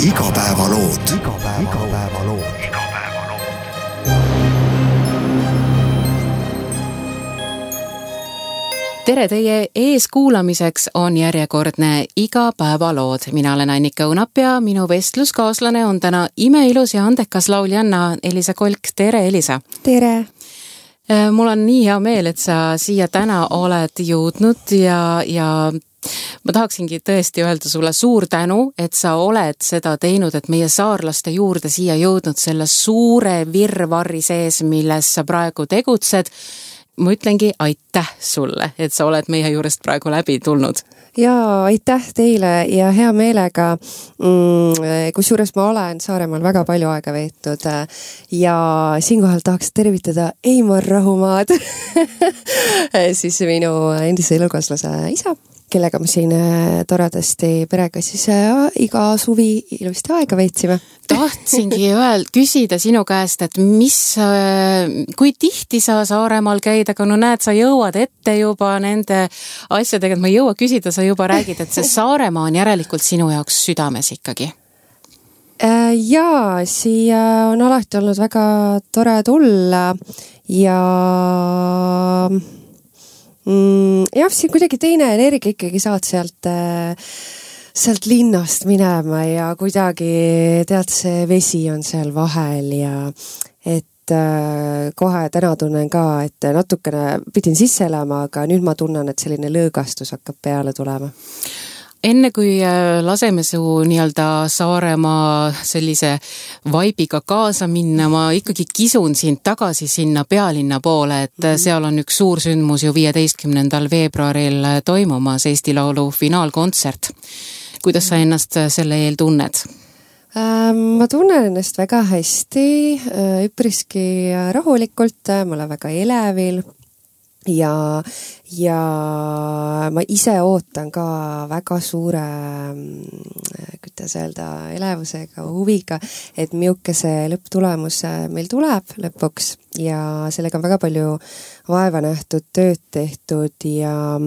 Igapäevalood. Tere, teie ees kuulamiseks on järjekordne Igapäevalood. Mina olen Annika Õunap ja minu vestluskaaslane on täna imeilus ja andekas lauljanna Elisa Kolk. Tere, Elisa! Tere! Mul on nii hea meel, et sa siia täna oled jõudnud ja ma tahaksingi tõesti öelda sulle suur tänu, et sa oled seda teinud, et meie saarlaste juurde siia jõudnud selle suure virvarri sees, milles sa praegu tegutsed. Ma ütlengi aitäh sulle, et sa oled meie juurest praegu läbi tulnud. Jaa, aitäh teile ja hea meelega, kusjuures ma olen Saaremaal väga palju aega veetnud ja siinkohal tahaks tervitada Eimar Rahumaad, siis minu endise elukaaslase isa, kellega me siin toredasti perega siis iga suvi ilusti aega veetsime. Tahtsingi küsida sinu käest, et kui tihti sa Saaremaal käid, aga no näed, sa jõuad ette juba nende asjadega, et ma ei jõua küsida, sa juba räägid, et see Saaremaa on järelikult sinu jaoks südames ikkagi. Jaa, siia on alati olnud väga tore tulla ja jah, siin kuidagi teine energia ikkagi saad sealt linnast minema ja kuidagi tead, see vesi on seal vahel ja et kohe täna tunnen ka, et natukene pidin sisse elama, aga nüüd ma tunnen, et selline lõõgastus hakkab peale tulema. Enne kui laseme su nii-öelda Saaremaa sellise vaibiga kaasa minna, ma ikkagi kisun sind tagasi sinna pealinna poole, et seal on üks suur sündmus ju 15. veebruaril toimumas Eesti Laulu finaalkontsert. Kuidas sa ennast selle eel tunned? Ma tunnen ennast väga hästi, üpriski rahulikult, ma olen väga elevil. Ja ma ise ootan ka väga suure, kuidas öelda, elevusega, huviga, et milline see lõpptulemus meil tuleb lõpuks ja sellega on väga palju vaeva nähtud, tööd tehtud ja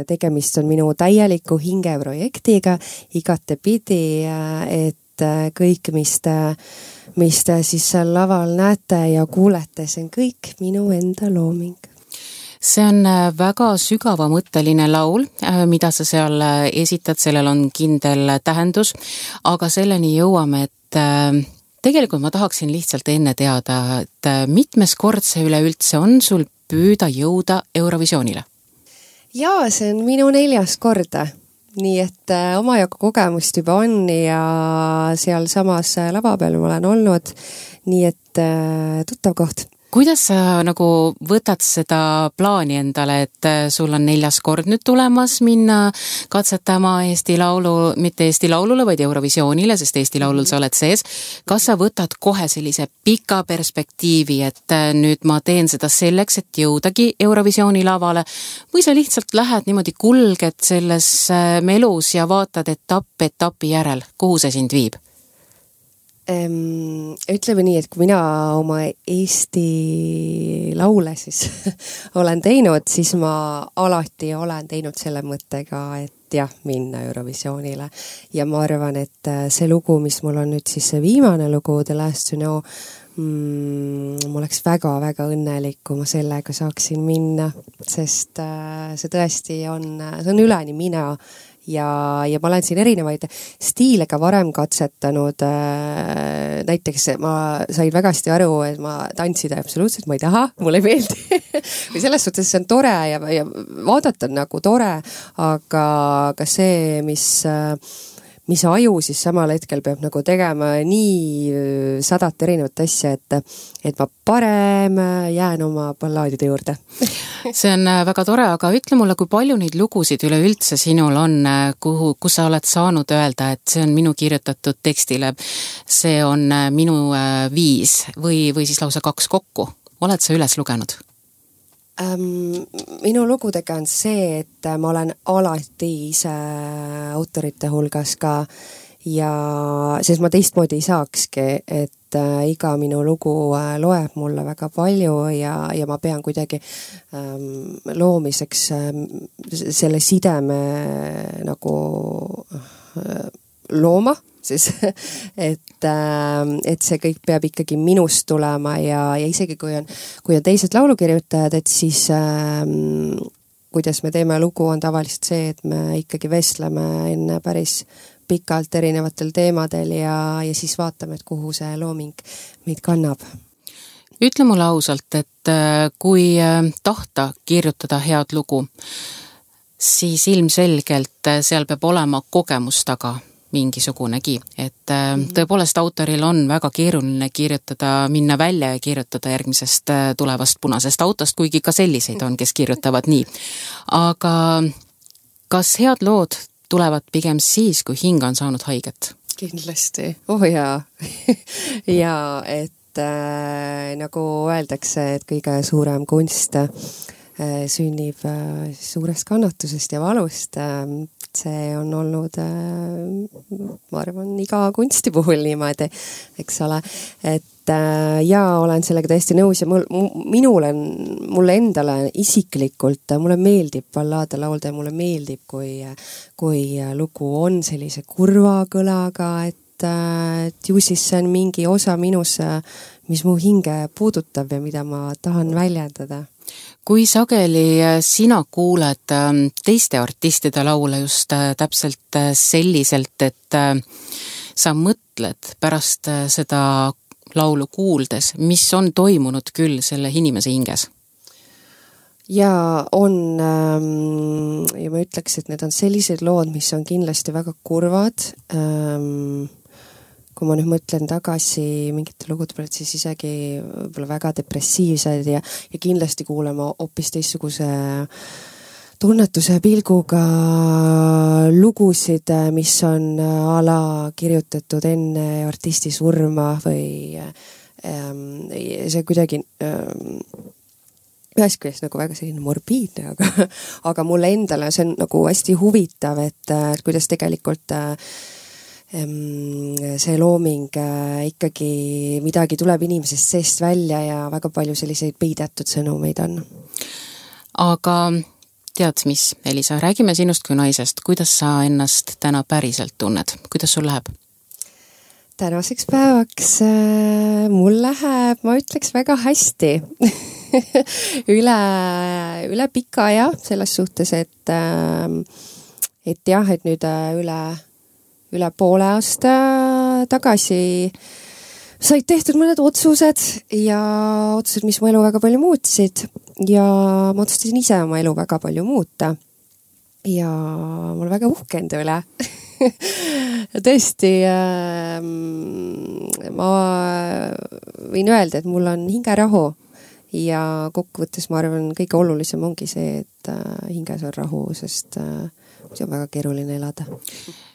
tegemist on minu täieliku hingeprojektiga igatepidi, et kõik, mis te siis seal laval näete ja kuulete, see on kõik minu enda looming. See on väga sügavamõtteline laul, mida sa seal esitad, sellel on kindel tähendus, aga selleni jõuame, et tegelikult ma tahaksin lihtsalt enne teada, et mitmes kord see üleüldse on sul püüda jõuda Eurovisioonile? Jaa, see on minu 4. kord, nii et omajagu kogemust juba on ja seal samas lava peal ma olen olnud, nii et tuttav koht. Kuidas sa nagu võtad seda plaani endale, et sul on 4. kord nüüd tulemas minna katsetama Eesti Laulu, mitte Eesti Laulule, vaid Eurovisioonile, sest Eesti Laulul sa oled sees. Kas sa võtad kohe sellise pika perspektiivi, et nüüd ma teen seda selleks, et jõudagi Eurovisiooni lavale, või sa lihtsalt lähed niimoodi kulged selles melus ja vaatad etapi järel, kuhu see sind viib? Ütleme nii, et kui mina oma Eesti laule siis olen teinud, siis ma alati olen teinud selle mõttega, et jah, minna Eurovisioonile. Ja ma arvan, et see lugu, mis mul on nüüd siis see viimane lugu, The Last to Know, ma oleks väga-väga õnnelik, kui ma sellega saaksin minna, sest see tõesti on üleni mina. Ja ma olen siin erinevaid stiile ka varem katsetanud, näiteks ma sain väga hästi aru, et ma tantsida absoluutselt ma ei taha, mulle ei meeldi või selles suhtes see on tore ja vaadata on nagu tore, aga see, mis aju siis samal hetkel peab nagu tegema nii 100 erinevat asja, et ma parem jään oma ballaadide juurde. See on väga tore, aga ütle mulle, kui palju neid lugusid üleüldse sinul on, kus sa oled saanud öelda, et see on minu kirjutatud tekstile, see on minu 5 või siis lausa 2 kokku. Oled sa üles lugenud? Minu lugudega on see, et ma olen alati ise autorite hulgas ka ja sest ma teistmoodi ei saakski, et iga minu lugu loeb mulle väga palju ja ma pean kuidagi loomiseks selle sideme nagu looma siis et see kõik peab ikkagi minust tulema ja isegi kui on teised laulukirjutajad, et siis kuidas me teeme lugu, on tavaliselt see, et me ikkagi vestleme enne päris pikalt erinevatel teemadel ja siis vaatame, et kuhu see looming meid kannab. Ütle mulle ausalt, et kui tahta kirjutada head lugu, siis ilmselgelt seal peab olema kogemus taga mingisugunegi, et tõepoolest autoril on väga keeruline kirjutada, minna välja ja kirjutada järgmisest tulevast punasest autost, kuigi ka selliseid on, kes kirjutavad nii. Aga kas head lood tulevad pigem siis, kui hing on saanud haiget? Kindlasti, jaa. ja et nagu öeldakse, et kõige suurem kunst sünnib suurest kannatusest ja valust. See on olnud, ma arvan, iga kunsti puhul niimoodi, eks ole. Et olen sellega täiesti nõus ja mulle endale isiklikult, mulle meeldib ballaade laulda ja mulle meeldib, kui lugu on sellise kurva kõlaga, et ju siis see on mingi osa minus, mis mu hinge puudutab ja mida ma tahan väljendada. Kui sageli sina kuuled teiste artistide laule just täpselt selliselt, et sa mõtled pärast seda laulu kuuldes, mis on toimunud küll selle inimese hinges? Ja on, ja ma ütleks, et need on sellised lood, mis on kindlasti väga kurvad. Kui ma nüüd mõtlen tagasi mingite lugude pealt, siis isegi võib-olla väga depressiivsed ja kindlasti kuulema hoopis teistsuguse tunnetuse pilguga lugusid, mis on ala kirjutatud enne artisti surma või see kuidagi ühest küljest nagu väga selline morbiidne, aga mulle endale see on nagu hästi huvitav, et kuidas tegelikult see looming ikkagi midagi tuleb inimesest seest välja ja väga palju selliseid peidetud sõnumeid on. Aga tead mis, Elisa, räägime sinust kui naisest. Kuidas sa ennast täna päriselt tunned? Kuidas sul läheb? Tänaseks päevaks mul läheb, ma ütleks, väga hästi. üle pika ja selles suhtes, et jah, et nüüd üle poole aasta tagasi said tehtud mõned otsused, mis mu elu väga palju muutsid ja ma otsustasin ise oma elu väga palju muuta. Ja mul väga uhke enda üle. Tõesti, ma võin öelda, et mul on hingerahu ja kokkuvõttes ma arvan, kõige olulisem ongi see, et hinges on rahu, sest see on väga keeruline elada.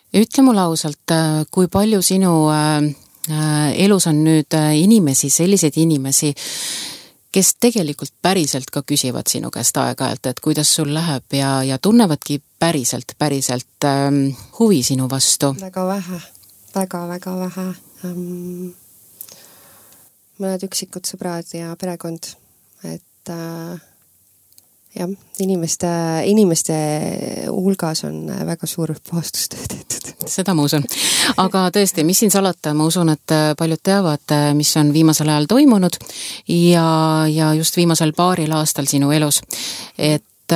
Ütle mulle ausalt, kui palju sinu elus on nüüd inimesi, selliseid inimesi, kes tegelikult päriselt ka küsivad sinu käest aeg-ajalt, et kuidas sul läheb ja tunnevadki päriselt huvi sinu vastu? Väga vähe, väga vähe. Mõned üksikud sõbrad ja perekond, et jah, inimeste hulgas on väga suur puhastustöö tehtud. Seda ma usun. Aga tõesti, mis siin salata, ma usun, et paljud teavad, mis on viimasel ajal toimunud ja just viimasel paaril aastal sinu elus. Et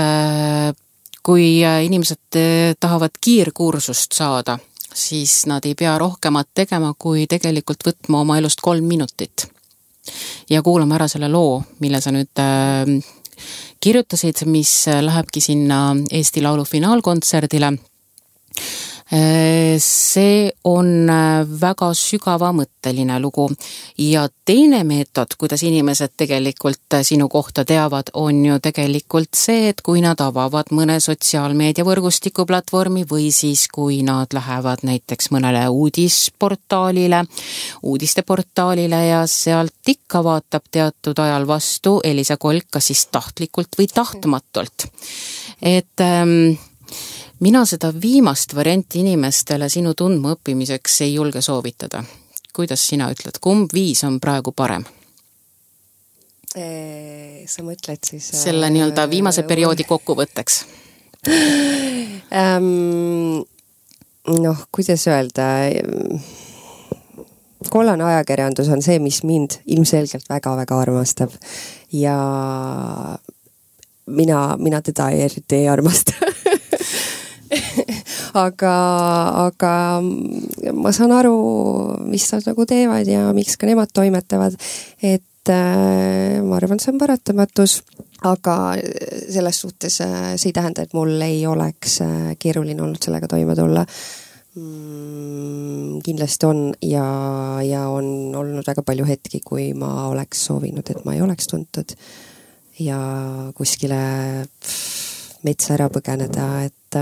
kui inimesed tahavad kiirkursust saada, siis nad ei pea rohkemat tegema, kui tegelikult võtma oma elust 3 minutit. Ja kuulame ära selle loo, mille sa nüüd kirjutasid, mis lähebki sinna Eesti Laulu finaalkontserdile. See on väga sügavamõtteline lugu ja teine meetod, kuidas inimesed tegelikult sinu kohta teavad, on ju tegelikult see, et kui nad avavad mõne sotsiaalmeediavõrgustiku platvormi või siis kui nad lähevad näiteks mõnele uudisteportaalile ja sealt ikka vaatab teatud ajal vastu Elisa Kolk, kas siis tahtlikult või tahtmatult. Et mina seda viimast varianti inimestele sinu tundma õppimiseks ei julge soovitada. Kuidas sina ütled, kumb viis on praegu parem? Sa mõtled siis... Selle nii-öelda viimase perioodi kokkuvõtteks. noh, kuidas öelda, kollane ajakirjandus on see, mis mind ilmselgelt väga-väga armastab ja mina teda eriti ei armasta. aga ma saan aru, mis nad nagu teevad ja miks ka nemad toimetavad, et ma arvan, see on paratamatus, aga selles suhtes see ei tähenda, et mul ei oleks keeruline olnud sellega toime tulla. Kindlasti on ja on olnud väga palju hetki, kui ma oleks soovinud, et ma ei oleks tuntud ja kuskile metsa ära põgeneda, et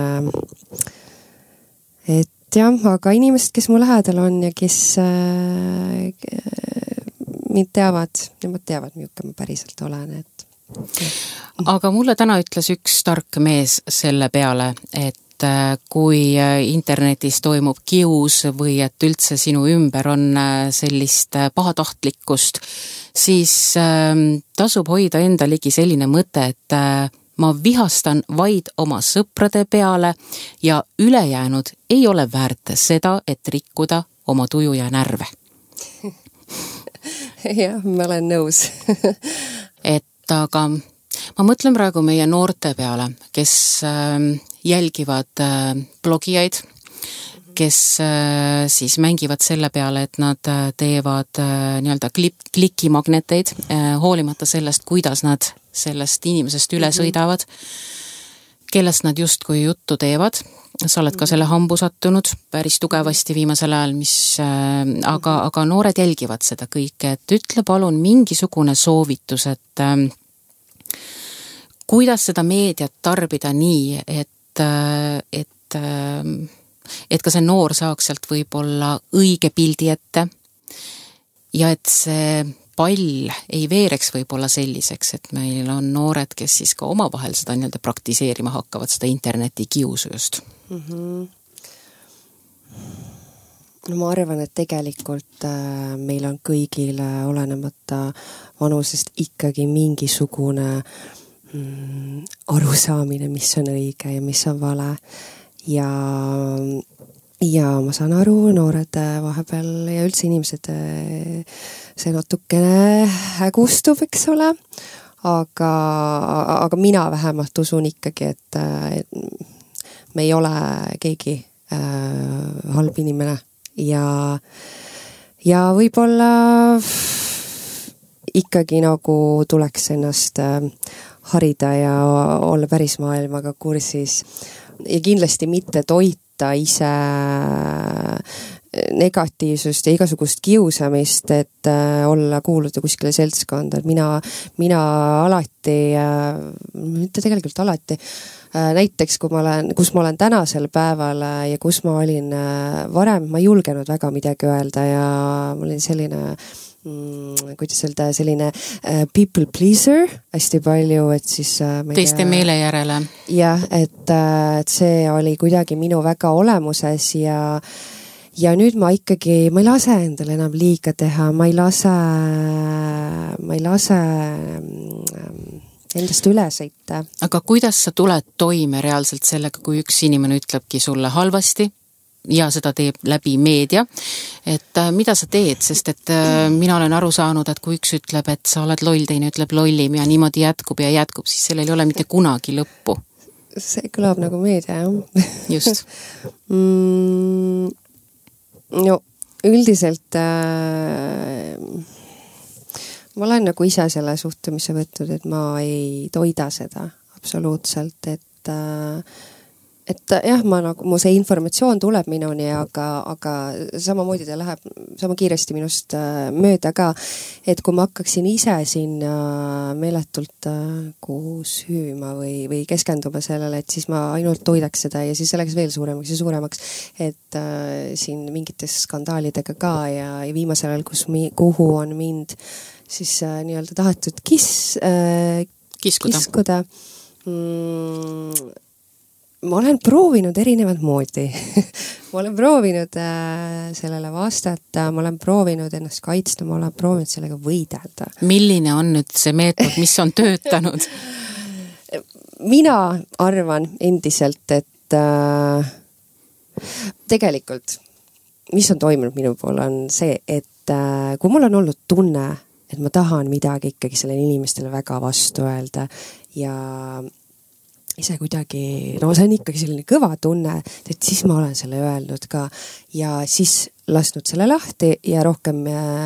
jah, aga inimesed, kes mu lähedal on ja kes mind teavad, nemad teavad, milline ma päriselt olen, et aga mulle täna ütles üks tark mees selle peale, et kui internetis toimub kius või et üldse sinu ümber on sellist pahatahtlikkust, siis tasub hoida enda ligi selline mõte, et ma vihastan vaid oma sõprade peale ja ülejäänud ei ole väärt seda, et rikkuda oma tuju ja närve. Jah, ma olen nõus. Et aga ma mõtlen praegu meie noorte peale, kes jälgivad blogijaid, kes siis mängivad selle peale, et nad teevad nii-öelda klikimagneteid, hoolimata sellest, kuidas nad sellest inimesest üle sõidavad, kellest nad justkui juttu teevad. Sa oled ka selle hambu sattunud päris tugevasti viimasel ajal, aga noored jälgivad seda kõike, et ütle palun mingisugune soovitus, et kuidas seda meediat tarbida nii, et ka see noor saaks sealt võib-olla õige pildi ette ja et see pall ei veereks võib-olla selliseks, et meil on noored, kes siis ka omavahel seda nii-öelda praktiseerima hakkavad, seda interneti kiusu just. No ma arvan, et tegelikult meil on kõigil olenemata vanusest ikkagi mingisugune arusaamine, mis on õige ja mis on vale ja ma saan aru, noored vahepeal ja üldse inimesed see natukene hägustub, eks ole, aga mina vähemalt usun ikkagi, et me ei ole keegi halb inimene ja võib-olla ikkagi nagu tuleks ennast harida ja olla päris maailmaga kursis ja kindlasti mitte toita ise negatiivsust ja igasugust kiusamist, et kuuluda kuskile seltskonda, et mina alati, mitte tegelikult alati, näiteks kus ma olen tänasel päeval ja kus ma olin varem, ma ei julgenud väga midagi öelda ja ma olin selline kuidas öelda, selline people pleaser hästi palju, et siis teiste meele järele. Jah, et see oli kuidagi minu väga olemuses ja nüüd ma ikkagi, ma ei lase endale enam liiga teha, ma ei lase endast üle sõita. Aga kuidas sa tuled toime reaalselt sellega, kui üks inimene ütlebki sulle halvasti ja seda teeb läbi meedia, et mida sa teed, sest et mina olen aru saanud, et kui üks ütleb, et sa oled loll, teine ütleb lollim ja niimoodi jätkub, siis sellel ei ole mitte kunagi lõppu. See kõlab nagu meedia, jah. Just. No üldiselt ma olen nagu ise selle suhtumise võtnud, et ma ei toida seda absoluutselt, et jah, mu see informatsioon tuleb minuni, aga samamoodi ta läheb sama kiiresti minust mööda ka, et kui ma hakkaksin ise sinna meeletult süüma või keskenduma sellele, et siis ma ainult toidaks seda ja siis see läks veel suuremaks ja suuremaks, et siin mingites skandaalidega ka ja viimasel ajal, kuhu on mind siis nii-öelda tahetud kiskuda. Ma olen proovinud erinevat moodi. Ma olen proovinud sellele vastata, ma olen proovinud ennast kaitsta, ma olen proovinud sellega võidelda. Milline on nüüd see meetod, mis on töötanud? Mina arvan endiselt, et Tegelikult, mis on toimunud minu pool, on see, et kui mul on olnud tunne, et ma tahan midagi ikkagi sellele inimestele väga vastu öelda ja ise kuidagi, see on ikkagi selline kõva tunne, et siis ma olen selle öelnud ka ja siis lasknud selle lahti ja rohkem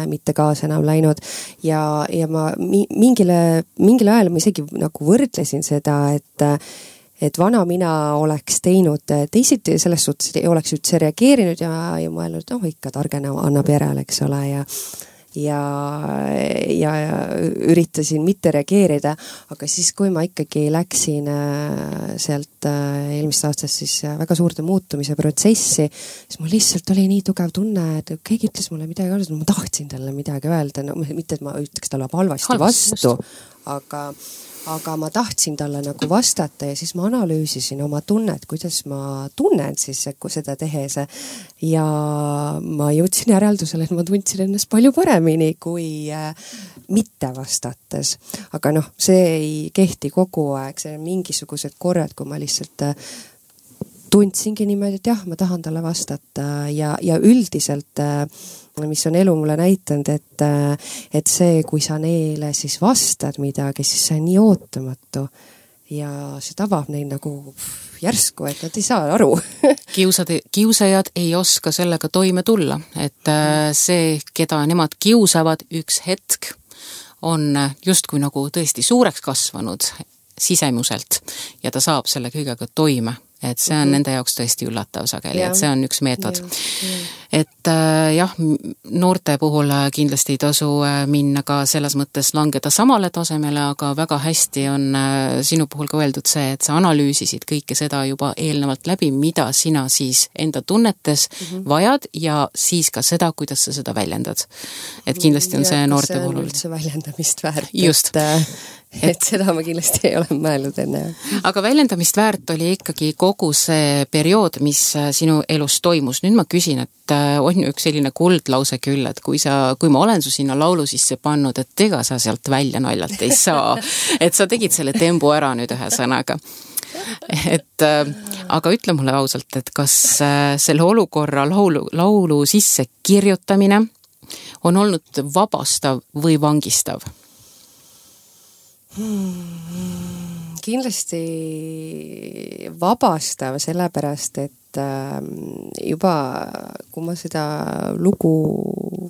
mitte kaasa enam läinud ja ma mingil ajal ma isegi nagu võrdlesin seda, et vana mina oleks teinud teisiti, selles suhtes ei oleks üldse reageerinud ja mõelnud, ikka targena annab järele, eks ole, ja üritasin mitte reageerida, aga siis, kui ma ikkagi läksin sealt eelmist aastast siis väga suurde muutumise protsessi, siis mul lihtsalt oli nii tugev tunne, et keegi ütles mulle midagi öelda, ma tahtsin talle midagi öelda, mitte et ma ütleks talle halvasti vastu, aga ma tahtsin talle nagu vastata ja siis ma analüüsisin oma tunnet, kuidas ma tunnen siis seda tehes ja ma jõudsin järeldusele, et ma tundsin ennast palju paremini kui mitte vastates. Aga see ei kehti kogu aeg, see on mingisugused korrad, kui ma lihtsalt tundsingi niimoodi, et jah, ma tahan talle vastata ja üldiselt mis on elu mulle näitanud, et see, kui sa neile siis vastad midagi, siis see on nii ootamatu ja see tabab neid nagu järsku, et nad ei saa aru. Kiusajad ei oska sellega toime tulla, et see, keda nemad kiusavad üks hetk, on justkui nagu tõesti suureks kasvanud sisemuselt ja ta saab selle kõigega toime. Et see on nende jaoks tõesti üllatav sageli, et see on üks meetod. Et jah, noorte puhul kindlasti ei tasu minna ka selles mõttes langeda samale tasemele, aga väga hästi on sinu puhul ka öeldud see, et sa analüüsisid kõike seda juba eelnevalt läbi, mida sina siis enda tunnetes vajad ja siis ka seda, kuidas sa seda väljendad. Et kindlasti on see noorte puhul. See on üldse väljendamist väärt. Just. Et seda ma kindlasti ei ole mõelnud enne. Aga väljendamist väärt oli ikkagi kogu see periood, mis sinu elus toimus. Nüüd ma küsin, et on ju üks selline kuldlause küll, et kui ma olen su sinna laulu sisse pannud, et ega sa sealt välja naljalt ei saa. Et sa tegid selle tembu ära nüüd ühe sõnaga. Aga ütle mulle ausalt, et kas selle olukorra laulu sisse kirjutamine on olnud vabastav või vangistav? Kindlasti vabastav, sellepärast, et juba kui ma seda lugu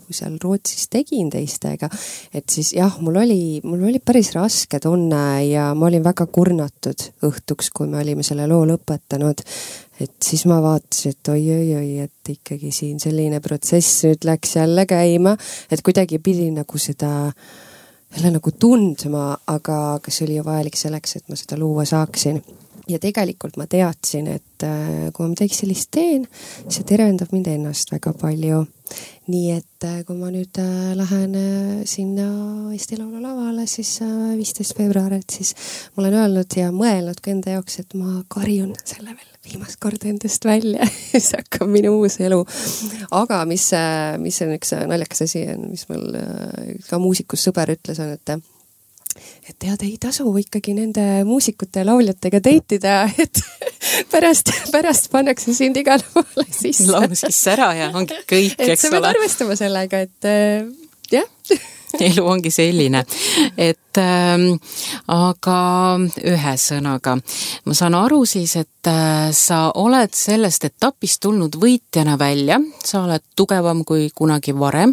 seal Rootsis tegin teistega, et siis jah, mul oli päris raske tunne ja ma olin väga kurnatud õhtuks, kui me olime selle loo lõpetanud, et siis ma vaatasin, et oi, et ikkagi siin selline protsess nüüd läks jälle käima, et kuidagi pidi nagu seda jälle nagu tundma, aga see oli ju vajalik selleks, et ma seda luua saaksin. Ja tegelikult ma teadsin, et kui ma midagi sellist teen, see tervendab mind ennast väga palju. Nii et kui ma nüüd lähen sinna Eesti Laulu lavale, siis 15. veebruar, et siis ma olen öelnud ja mõelnud ka enda jaoks, et ma karjun selle veel viimast korda endast välja. See hakkab minu uus elu. Aga mis on üks naljakas asi, mis mul ka muusikus sõber ütles, on, et tead, ei tasu ikkagi nende muusikute ja lauljatega teitida, et pärast pannakse sind igale poole sisse. Laulu sisse ära ja ongi kõik, eks ole. Et sa pead arvestama sellega, et jah. Elu ongi selline, et aga ühe sõnaga. Ma saan aru siis, et sa oled sellest etapist tulnud võitjana välja, sa oled tugevam kui kunagi varem.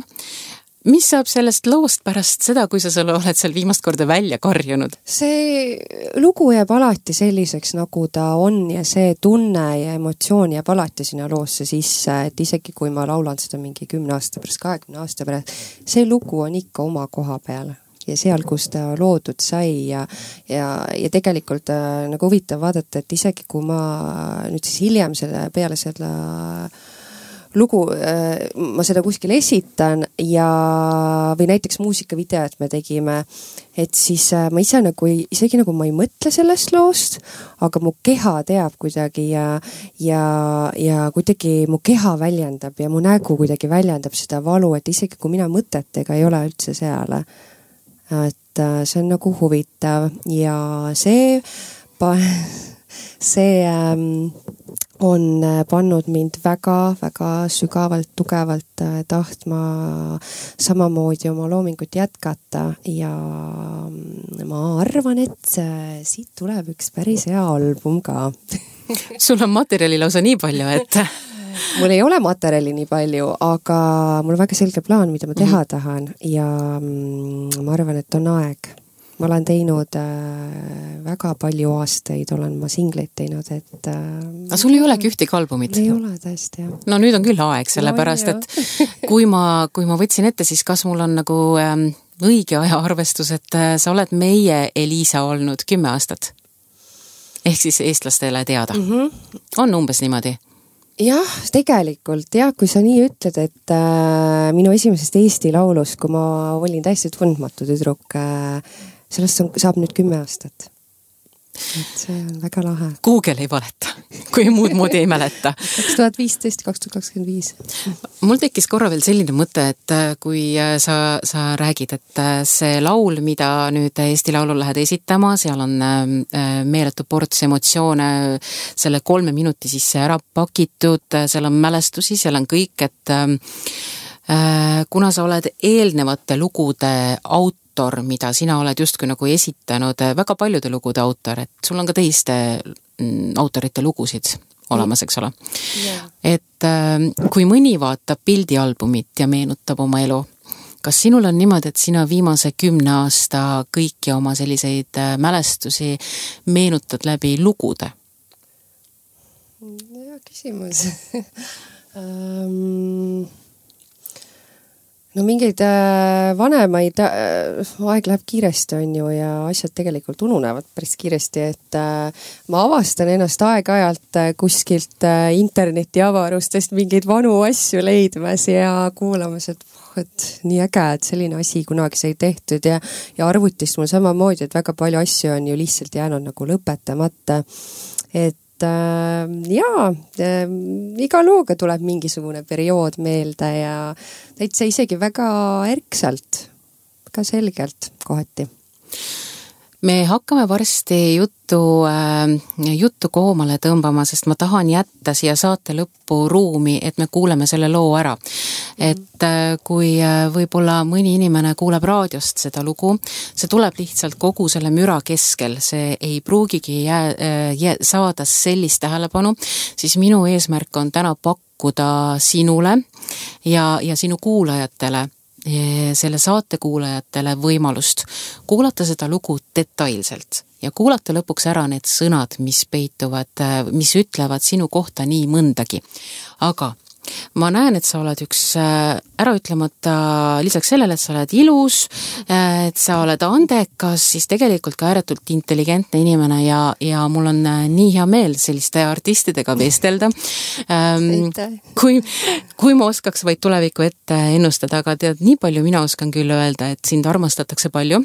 Mis saab sellest loost pärast seda, kui sa oled seal viimast korda välja karjunud? See lugu jääb alati selliseks, nagu ta on ja see tunne ja emotsioon jääb alati sinna loosse sisse, et isegi kui ma laulan seda mingi 10 aasta pärast, 20 aasta pärast, see lugu on ikka oma koha peal ja seal, kus ta loodud sai ja tegelikult nagu huvitav vaadata, et isegi kui ma nüüd siis hiljem peale seda lugu, ma seda kuskil esitan või näiteks muusikavideot me tegime, et siis ma ise isegi nagu ma ei mõtle sellest loost, aga mu keha teab kuidagi ja kuidagi mu keha väljendab ja mu nägu kuidagi väljendab seda valu, et isegi kui mina mõtetega ei ole üldse seal, et see on nagu huvitav ja see on pannud mind väga-väga sügavalt, tugevalt tahtma samamoodi oma loomingut jätkata ja ma arvan, et siit tuleb üks päris hea album ka. Sul on materjali lausa nii palju, et... Mul ei ole materjali nii palju, aga mul on väga selge plaan, mida ma teha tahan ja ma arvan, et on aeg. Ma olen teinud väga palju aastaid, olen ma singleid teinud, et... Aga sul ei olegi ühtegi albumit? Ei ole tõesti, jah. No nüüd on küll aeg, sellepärast, et kui ma võtsin ette, siis kas mul on nagu õige ajaarvestus, et sa oled meie Elisa olnud 10 aastat? Ehk siis eestlastele teada. On umbes niimoodi? Jah, tegelikult, jah, kui sa nii ütled, et minu esimesest Eesti laulust, kui ma olin täiesti tundmatu tüdruk, sellest saab nüüd 10 aastat. Et see on väga lahe. Google ei valeta, kui muud moodi ei mäleta. 2015-2025. Mul tekkis korra veel selline mõte, et kui sa räägid, et see laul, mida nüüd Eesti Laulul lähed esitama, seal on meeletu ports emotsioone selle 3 minuti sisse ära pakitud, seal on mälestusi, seal on kõik, et kuna sa oled eelnevate lugude autor, mida sina oled justkui nagu esitanud, väga paljude lugude autor, et sul on ka teiste autorite lugusid olemas, eks ole. Yeah. Et kui mõni vaatab pildialbumit ja meenutab oma elu, kas sinul on niimoodi, et sina viimase 10 aasta kõiki oma selliseid mälestusi meenutad läbi lugude? Hea küsimus. No mingeid vanemaid, aeg läheb kiiresti on ju ja asjad tegelikult ununevad päris kiiresti, et ma avastan ennast aeg-ajalt kuskilt interneti avarustest mingeid vanu asju leidmas ja kuulamas, et nii äge, et selline asi kunagi sai tehtud ja arvutist mul samamoodi, et väga palju asju on ju lihtsalt jäänud nagu lõpetamata, et iga looga tuleb mingisugune periood meelde ja täitsa isegi väga ärksalt, väga selgelt kohati. Me hakkame varsti juttu koomale tõmbama, sest ma tahan jätta siia saate lõppu ruumi, et me kuuleme selle loo ära. Et kui võib-olla mõni inimene kuuleb raadiost seda lugu, see tuleb lihtsalt kogu selle müra keskel, see ei pruugigi saada sellist tähelepanu, siis minu eesmärk on täna pakkuda sinule ja sinu kuulajatele, selle saate kuulajatele võimalust kuulata seda lugu detailselt ja kuulata lõpuks ära need sõnad, mis peituvad, mis ütlevad sinu kohta nii mõndagi. Aga ma näen, et sa oled üks äraütlemata, lisaks sellele, et sa oled ilus, et sa oled andekas, siis tegelikult ka ääretult intelligentne inimene ja mul on nii hea meel selliste artistidega vestelda. Kui ma oskaks vaid tuleviku ette ennustada, aga tead, nii palju mina oskan küll öelda, et sind armastatakse palju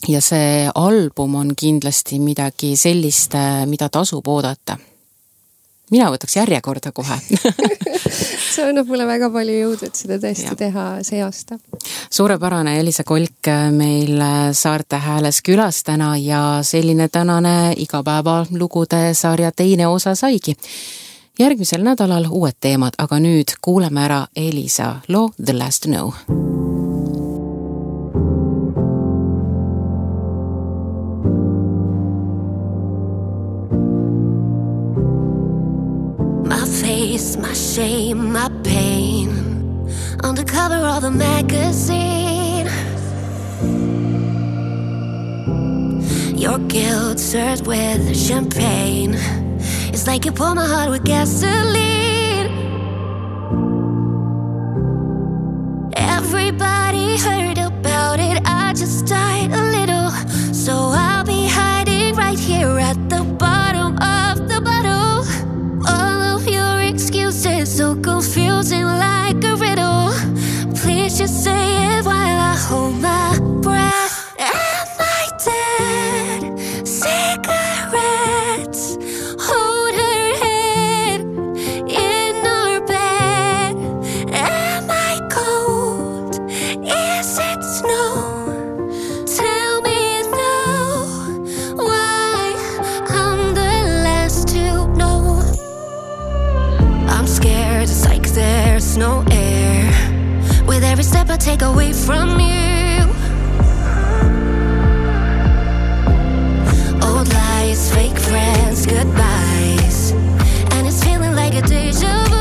ja see album on kindlasti midagi sellist, mida tasub oodata. Mina võtaks järjekorda kohe. See annab mulle väga palju jõudu, et seda tõesti teha see aasta. Suurepärane Elisa Kolk meil Saarte Hääles külas täna ja selline tänane igapäeva lugude sarja teine osa saigi. Järgmisel nädalal uued teemad, aga nüüd kuuleme ära Elisa loo The Last to Know. My shame, my pain on the cover of the magazine. Your guilt served with champagne. It's like you pour my heart with gasoline. Everybody heard about it, I just died a little. So I'll be hiding right here at the bottom of the bottle. All of your excuses so confusing like a riddle. Please just say it while I hold my breath. And my dead cigarettes hold her head every step I take away from you. Old lies, fake friends, goodbyes, and it's feeling like a deja vu.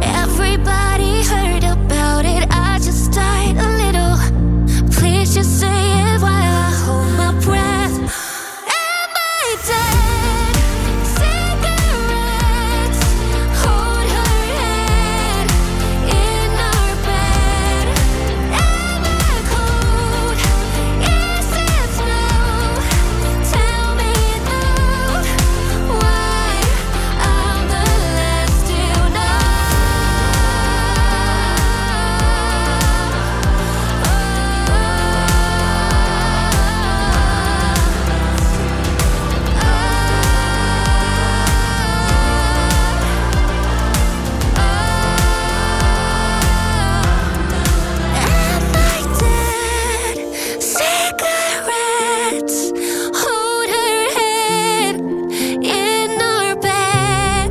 Everybody heard about it, I just died a little. Please just say it while I hold my breath. Am I dead? Cigarettes, hold her head in our bed. Am I cold? Is it snow? Tell me now why I'm the last to know. Am I dead? Cigarettes, hold her head in our bed.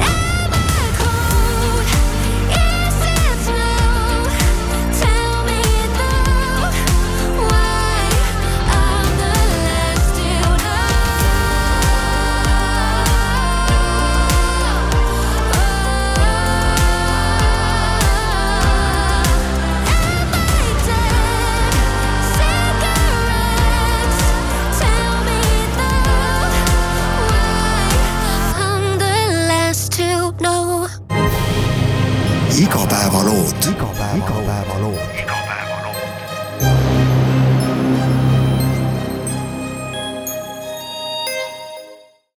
Am I cold? Is it snow? Tell me now why I'm the last to know. Am I dead? Cigarettes, tell me now why I'm the last to know. Igapäevalood.